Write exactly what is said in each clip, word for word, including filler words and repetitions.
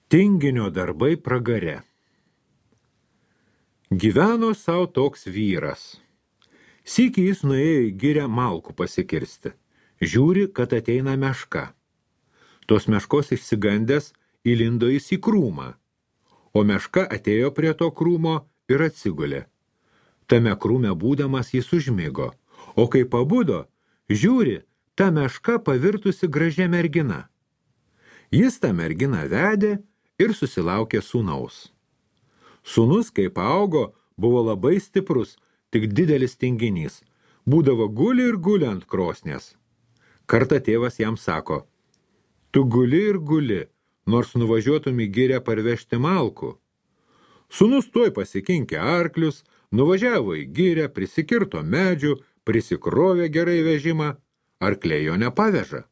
Tinginio darbai pragare. Gyveno savo toks vyras. Sykį jis nuėjo į girią malkų pasikirsti. Žiūri, kad ateina meška. Tos meškos išsigandęs įlindo jis į krūmą, o meška atėjo prie to krūmo ir atsigulė. Tame krūme būdamas jis užmigo, o kai pabudo, žiūri, ta meška pavirtusi gražia mergina. Jis tą merginą vedė ir susilaukė sūnaus. Sūnus, kaip augo, buvo labai stiprus, tik didelis tinginys. Būdavo guli ir guli ant krosnės. Kartą tėvas jam sako, tu guli ir guli, nors nuvažiuotum į girią parvežti malkų. Sūnus tuoj pasikinkė arklius, nuvažiavo į girią, prisikirto medžių, prisikrovė gerai vežimą, arkliai jo nepaveža.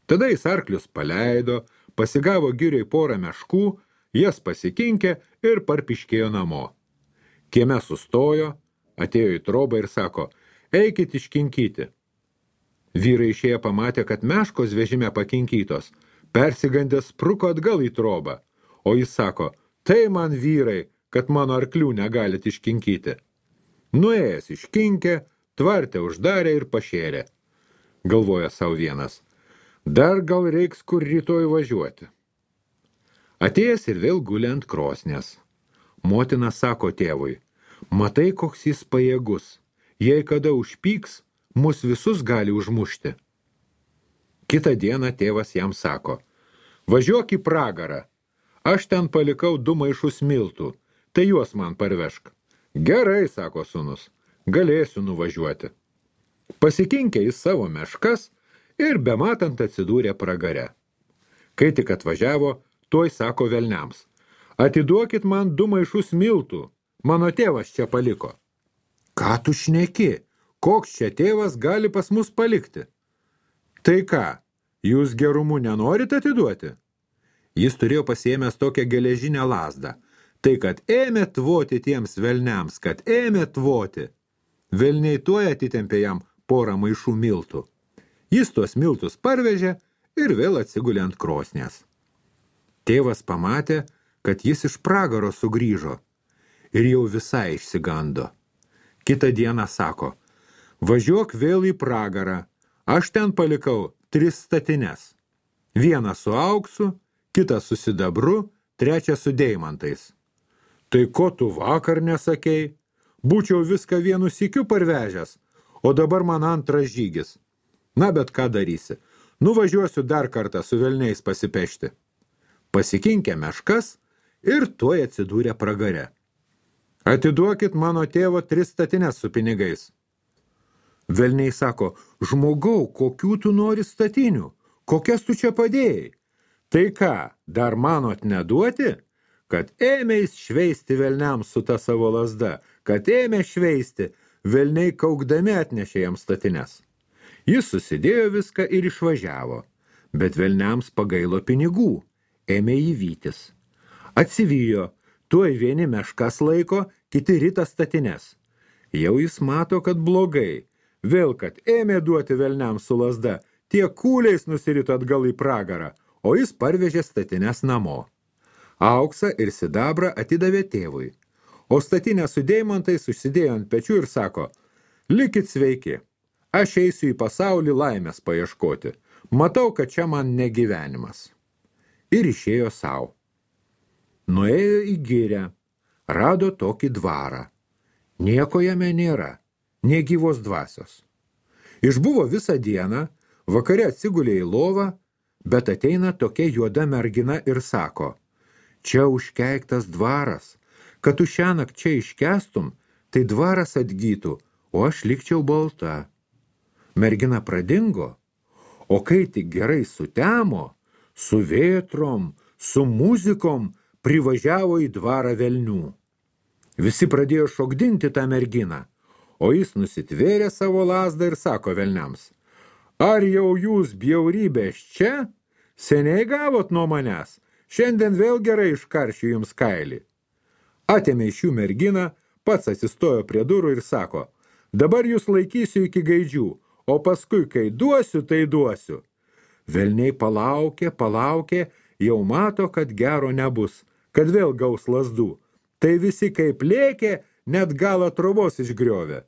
Tada jis arklius paleido, pasigavo girioj porą meškų, jas pasikinkė ir parpiškėjo namo. Kieme sustojo, atėjo į trobą ir sako, eikit iškinkyti. Vyrai išėję pamatė, kad meškos vežime pakinkytos, persigandęs spruko atgal į trobą, o jis sako, tai man vyrai, kad mano arklių negalit iškinkyti. Nuėjęs iškinkė, tvarte uždarė ir pašėrė. Galvoja savo vienas, dar gal reiks kur rytoj važiuoti. Atėjęs ir vėl guli ant krosnės. Motina sako tėvui, matai, koks jis pajėgus, jei kada užpyks, mus visus gali užmušti. Kitą dieną tėvas jam sako, važiuok į pragarą, aš ten palikau du maišus miltų, tai juos man parvežk. Gerai, sako sūnus, galėsiu nuvažiuoti. Pasikinkė jis savo meškas ir bematant atsidūrė pragare. Kai tik atvažiavo, tuoj sako velniams, atiduokit man du maišus miltų, mano tėvas čia paliko. Ką tu šneki, koks čia tėvas gali pas mus palikti? Tai ką, jūs gerumu nenorit atiduoti? Jis turėjo pasiėmęs tokią geležinę lazdą, tai kad ėmė tvoti tiems velniams, kad ėmė tvoti. Velniai tuoj atitempė jam porą maišų miltų. Jis tuos miltus parvežė ir vėl atsigulė ant krosnės. Tėvas pamatė, kad jis iš pragaro sugrįžo ir jau visai išsigando. Kitą dieną sako, važiuok vėl į pragarą, aš ten palikau tris statines. Vieną su auksu, kitą su sidabru, trečią su deimantais. Tai ko tu vakar nesakei? Būčiau viską vienu sykiu parvežęs, o dabar man antras žygis. Na, bet ką darysi? Nuvažiuosiu dar kartą su velniais pasipešti. Pasikinkė meškas ir tuoj atsidūrė pragare. Atiduokit mano tėvo tris statines su pinigais. Velniai sako, žmogau, kokių tu nori statinių? Kokias tu čia padėjai? Tai ką, dar manot neduoti? Kad ėmė jis šveisti velniams su ta savo lazda, kad ėmė šveisti, velniai kaukdami atnešė jam statines. Jis susidėjo viską ir išvažiavo, bet velniams pagailo pinigų, ėmė jį vytis. Atsivijo, tuoj vieni meškas laiko, kiti rita statines. Jau jis mato, kad blogai, vėl kad ėmė duoti velniams su lazda, tie kūliais nusirito atgal į pragarą, o jis parvežė statines namo. Auksą ir sidabrą atidavė tėvui, o statinę su deimantais užsidėjo ant pečių ir sako, likit sveiki, aš eisiu į pasaulį laimės paieškoti, matau, kad čia man negyvenimas. Ir išėjo savo. Nuėjo į girią, rado tokį dvarą. Nieko jame nėra, nė gyvos dvasios. Išbuvo visą dieną, vakare atsigulė į lovą, bet ateina tokia juoda mergina ir sako, čia užkeiktas dvaras, kad tu šiąnakt čia iškestum, tai dvaras atgytų, o aš likčiau balta. Mergina pradingo, o kai tik gerai sutemo, su vėtrom, su muzikom privažiavo į dvarą velnių. Visi pradėjo šokdinti tą merginą, o jis nusitvėrė savo lazdą ir sako velniams, ar jau jūs bjaurybės čia? Seniai gavot nuo manęs, šiandien vėl gerai iškaršiu jums kailį. Atėmė iš jų merginą, pats atsistojo prie durų ir sako, dabar jūs laikysiu iki gaidžių, o paskui, kai duosiu, tai duosiu. Velniai palaukė, palaukė jau mato, kad gero nebus, kad vėl gaus lazdų. Tai visi kaip lėkė, net galą trobos išgriovė.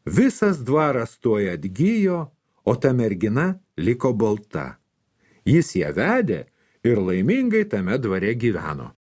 Visas dvaras tuoj atgyjo, o ta mergina liko balta. Jis ją vedė ir laimingai tame dvare gyveno.